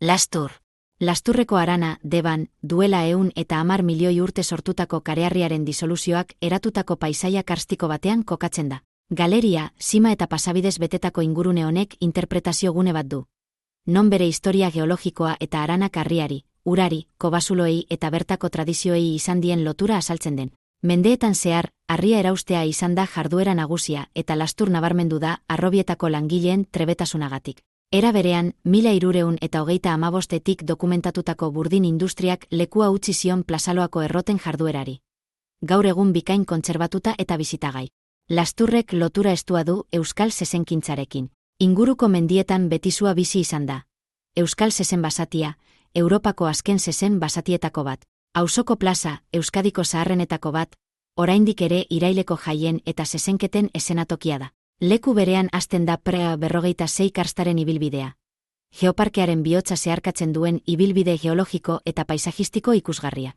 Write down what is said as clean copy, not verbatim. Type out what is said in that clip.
Lastur. Lasturreko harana, Deban, duela 110 milioi urte sortutako kareharriaren disoluzioak eratutako paisaia karstiko batean kokatzen da. Galeria, sima eta pasabidez betetako ingurune honek interpretazio gune bat du. Non bere historia geologikoa eta haranak harriari, urari, kobasuloei eta bertako tradizioei izan dien lotura azaltzen den. Mendeetan zehar, harria eraustea izan da jarduera nagusia eta Lastur nabarmendu da harrobietako langileen trebetasunagatik. Era berean, 1325etik dokumentatutako burdin industriak lekua utzi zion Plazaloako erroten jarduerari. Gaur egun bikain kontserbatuta eta bizitagai. Lasturrek lotura estua du euskal zezenkintzarekin. Inguruko mendietan betizua bizi izan da. Euskal zezen basatia, Europako azken zezen basatietako bat. Auzoko plaza, Euskadiko zaharrenetako bat, oraindik ere iraileko jaien eta zezenketen esenatokia da. Leku berean hasten da Prea 46 karstaren ibilbidea. Geoparkearen bihotza zeharkatzen duen ibilbide geologiko eta paisajistiko ikusgarria.